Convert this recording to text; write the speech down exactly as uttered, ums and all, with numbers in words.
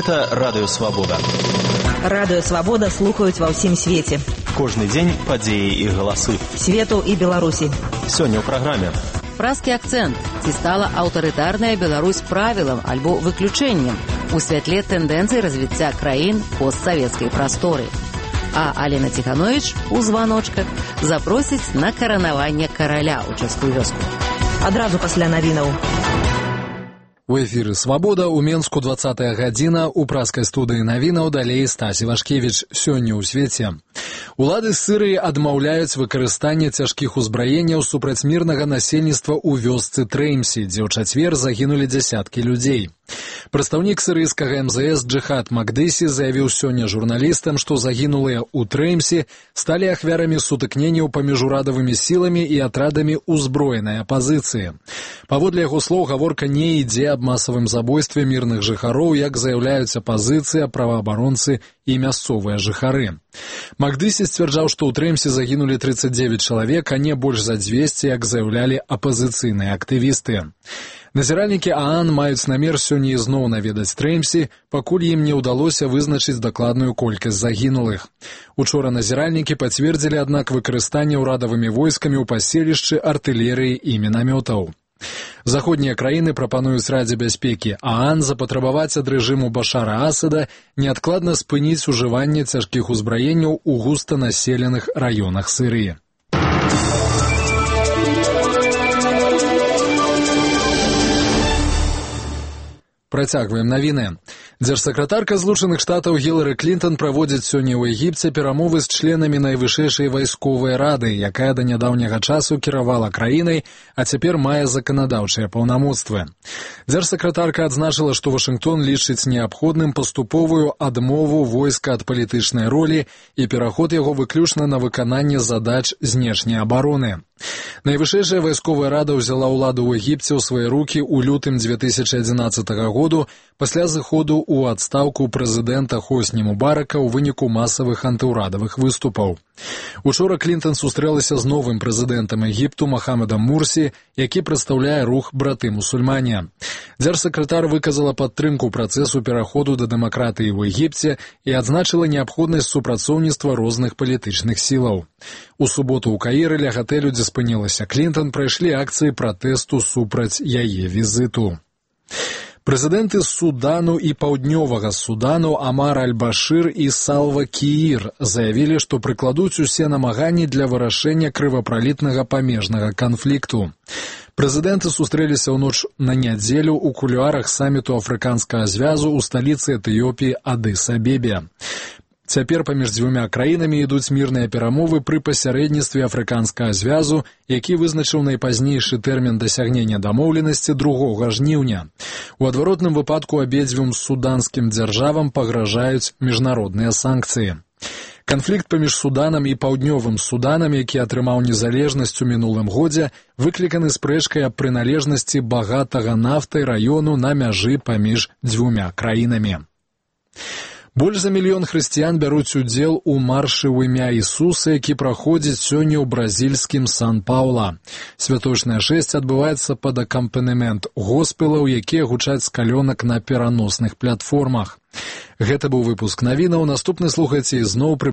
Гэта Радыё Свабода. Радыё Свабода слухаюць ва ўсім свеце. Кожны дзень падзеі і галасы. Свету і Беларусі. Сёння ў праграме. Празкі акцэнт. Ці стала аўтарытарная Беларусь правілам альбо выключэннем у святле тэндэнцый развіцця краін постсавецкай прасторы. А Алена Ціхановіч у званочках запросіць на каранаванне караля ў Чэшскую вёску. Адразу пасля навінаў. У эфіры «Свабода» у Менску двадцатая гадзіна, у празкай студыі навінаў далей Стасі Вашкевіч. Сёння ў свеце. Улады Сырыі адмаўляюць выкарыстанне цяжкіх узбраенняў супраць мірнага насельніцтва ў вёсцы Трэймсі, дзе ў чацвер загінулі дзясяткі людзей. Прадстаўнік сырыйскага эм зэ эс Джихад Макдыси заявіў сёння журналістам, што загінулыя ў Трэймсі сталі ахвярамі сутыкненняў паміж урадавымі сіламі і атрадамі ўзброенай апазіцыі. Паводле яго слоў, гаворка не ідзе аб масавым забойстве мірных жыхароў, як заяўляюць апазіцыя, праваабаронцы і мясцовыя жыхары. Макдыси сцвярджаў, што ў Трэймсі загінулі трыццаць дзевяць чалавек, а не больш за дзвесце, як заяўлялі апазіцыйныя актывісты. Назіральнікі ААН маюць намер сёння ізноў наведаць Трэймсі, пакуль ім не ўдалося вызначыць дакладную колькасць загінулых. Учора назіральнікі пацвердзілі, аднак, выкарыстанне ўрадавымі войскамі ў паселішчы артылерыі і мінамётаў. Заходнія краіны прапануюць Радзе бяспекі ААН запатрабаваць ад рэжыму Башара Асада неадкладна спыніць ужыванне цяжкіх узбраенняў у густанаселеных раёнах Сырыі. Працягваем навіны. Дзяржсакратарка Злучаных Штатаў Гілары Клінтон праводзіць сёння ў Егіпце перамовы з членамі найвышэйшай вайсковай рады, якая да нядаўняга часу кіравала краінай, а цяпер мае заканадаўчыя паўнамоцтвы. Дзяржсакратарка адзначыла, што Вашынгтон лічыць неабходным паступовую адмову войска ад палітычнай ролі і пераход яго выключна на выкананне задач знешняй абароны. Найвышэйшая вайсковая рада ўзяла ўладу ў Егіпце ў свае рукі ў лютым дзве тысячы адзінаццатага году пасля зыходу ў адстаўку прэзідэнта Хосні Мубарака ў выніку масавых антыўрадавых выступаў. Учора Клінтон сустрэлася з новым прэзідэнтам Егіпту Махамедам Мурсі, які прадстаўляе рух браты-мусульмане. Дзяржсакратар выказала падтрымку працэсу пераходу да дэмакратыі ў Егіпце і адзначыла неабходнасць супрацоўніцтва розных палітычных сілаў. У суботу ў Каіры ля гатэлю, дзе спынілася Клінтон, прайшлі акцыі пратэсту супраць яе візіту. Прэзідэнты Судану і Паўднёвага Судану Амар аль-Башыр і Салва Кіір заявілі, што прыкладуць усе намаганні для вырашэння крывапралітнага памежнага канфлікту. Прэзідэнты сустрэліся ў ноч на нядзелю ў кулуарах саміту Афрыканскага звязу ў сталіцы Этыёпіі Адыс-Абебе. Цяпер паміж дзвюмя краінамі ідуць мірныя перамовы пры пасярэдніцтве Афрыканскага звязу, які вызначыў найпазнейшы тэрмін дасягнення дамоўленасці другога жніўня. У адваротным выпадку абедзвюм суданскім дзяржавам пагражаюць міжнародныя санкцыі. Канфлікт паміж Суданам і Паўднёвым Суданам, які атрымаў незалежнасць у мінулым годзе, выкліканы спрэчкай аб прыналежнасці багатага нафтай раёну на мяжы паміж дзвюмя краінамі. Больш за мільён хрысціян бяруць удзел у маршы ў імя Ісуса, які праходзіць сёння ў бразільскім Сан-Паўла. Святочнае шэсце адбываецца пад акампанемент госпелаў, якія гучаць з калёнак на пераносных платформах. Гэта быў выпуск навінаў. Наступны слухайце ізноў пры